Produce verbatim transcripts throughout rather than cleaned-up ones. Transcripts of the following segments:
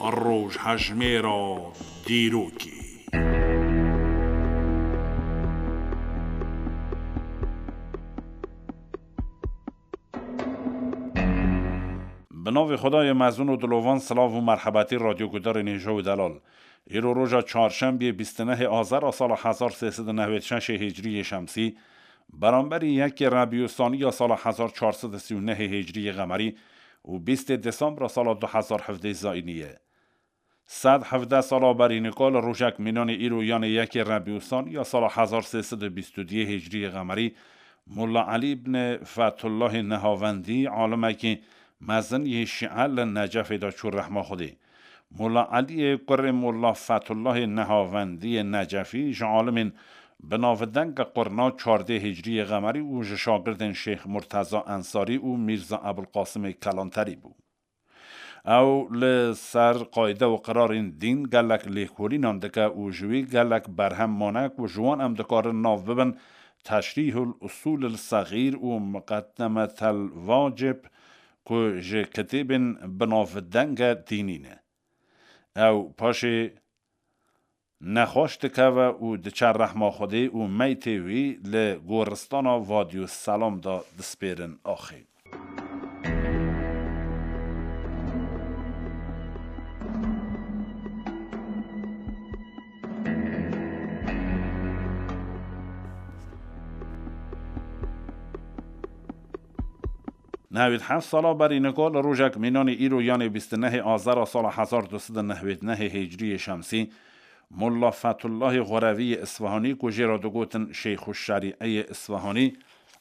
Rojhejmêra dîrokê. Bi navê Xwedayê mezin û dilovan, silav û merhebetî radyogudarên hêja û delal. Îro roja çarşembiyê bîst û nehê Azera sala hezar sê sed û nehwêd şeşê hicriyê şemsî, beramberî yekê Rebîûsanî ya sala hezar çar sed û sî û nehê hicriyê qemerî û bîstê Desembra sala du hezar hevdeh zayînî ye. Sed hevdeh sala berî nika li rojek mînanê îro, yanê yekê Rebîûsanî ya sala hezar sê sed û bîst û duyê hicriyê qemerî, Molla Elî ibn Fetullahê Nehavendî, alimekî mezin yê Şîe, li Necefê de çû rehma Xwedê. Molla Eliyê kurê Molla Fetullahê Nehavendiyê Necefî ji alimên bi navdeng qurna çardê hicriyê qemerî û ji şagirdên Şêx Murteza Ensarî û Mîrza Ebulqasimê Kelanterî bû. Ew li ser qayde û qirarên dîn gelek lêkolînan dike û ji wî gelek berhem mane ku ji wan em dikarin nav bibin Teşrîhul Usûlil Sexîr û Muqeddemetel Vacib, ku ji kitêbên bi navdenge dînî ne. Ew paşê nexweş dikeve û diçe rehma Xwedê û meytê wî li goristana Vadiyû Selam de dispêrin axê. Nehwêd heft sala berî nika li rojek mînanê îro, yanê bîst û nehê Azera sala hezar du sed û nehwêd nehê hicriyê şemsî, Molla Fetullahê Xwerevî yê Isfahanî, ku jê re digotin Şeyxuşşerî'eyê Isfahanî,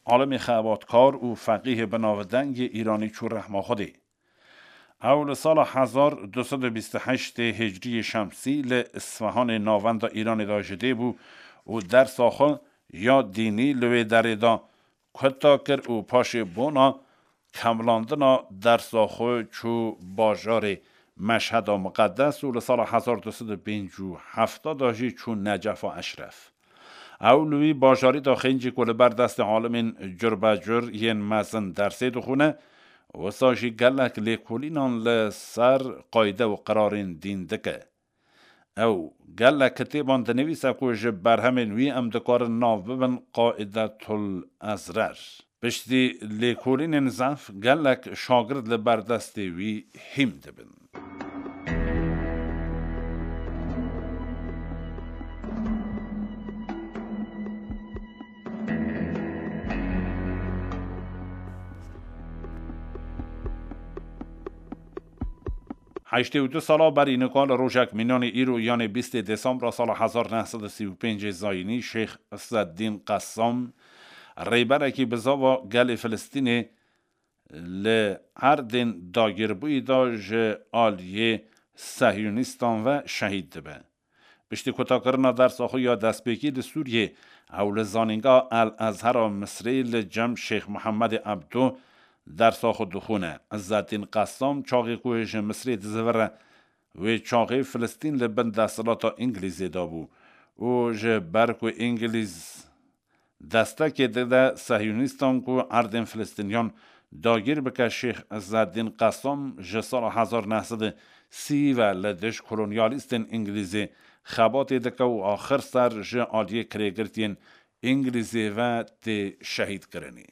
alimê xebatkar û feqîhê bi navdeng yê Îranî çû rehma Xwedê. Ew li sala hezar du sed û bîst û heştê hicriyê şemsî li Isfahanê, navenda Îranê de ji dê bû û dersa xwe ya dînî li wê derê de kuta kir û paşê bona kemlandina dersa xwe çû bajarê Meşheda Miqedes û li sala hezar du sed û pêncî û heft de jî çû Necefa Eşref. Ew li wî bajarî de xêncî ku li ber destê alimên curbecur yên mezin dersê dixwîne, wisa jî gelek lêkolînan li ser qayde û qirarên dîn dike. Ew gelek kitêban dinivîse ku ji berhemên wî em dikarin nav bibin Qaidetul Ezrer. Piştî lêkolînên zehf, gelek şagird li ber destê wî hîm dibin. Heştê û du sala berî nika li rojek mînanê îro, yanê bîstê Desembra sala hezar neh sed û sî û pêncê zayînî, Şêx Îzzeddîn Qessam, rêberekî bizava gelê Filistînê, li erdên dagîrbûyî de ji aliyê sehyonîstan ve şehîd dibe. Piştî kutakirina dersa xwe ya destpêkî li Sûriyê, ew li Zanîngeha El Ezhera Misrê li cem Şêx Mihemedê Ebdo dersa xwe dixwîne. Îzzeddîn Qessam çaxê ku ji Misrê dizivire, wê çaxê Filistîn li bin desthilata Îngilîzê de bû û ji ber ku Îngilîz destekê dide sehyonîstan ku erdên Filistîniyan dagîr bike, Şêx Îzzeddîn Qessam ji sala hezar neh sed û sî ve li dij kolonyalîstên Îngilîzê xebatê dike û axir ser ji aliyê kirêgirtiyên Îngilîzê ve tê şehîdkirinê.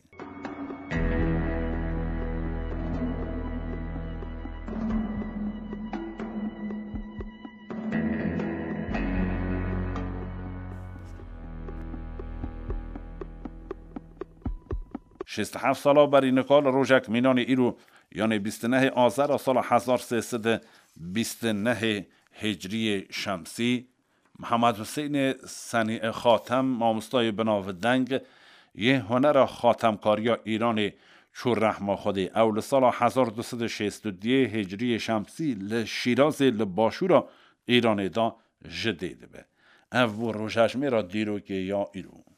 Şêst û heft sala berî nika li rojek mînanê îro, yanê bîst û nehê Azera sala hezar sê sed û bîst û nehê Hicriyê Şemsî, Mihemed Husênê Senî Xatem, mamostayê binavdeng yê hunera xatemkariya Îranê, çû rehma Xwedê. Ew li sala hezar du sed û şêst û duyê Hicriyê Şemsî li Şîrazê li başûra Îranê de ji dê dibe. Ev bû rojhejmêra dîrokê ya îro.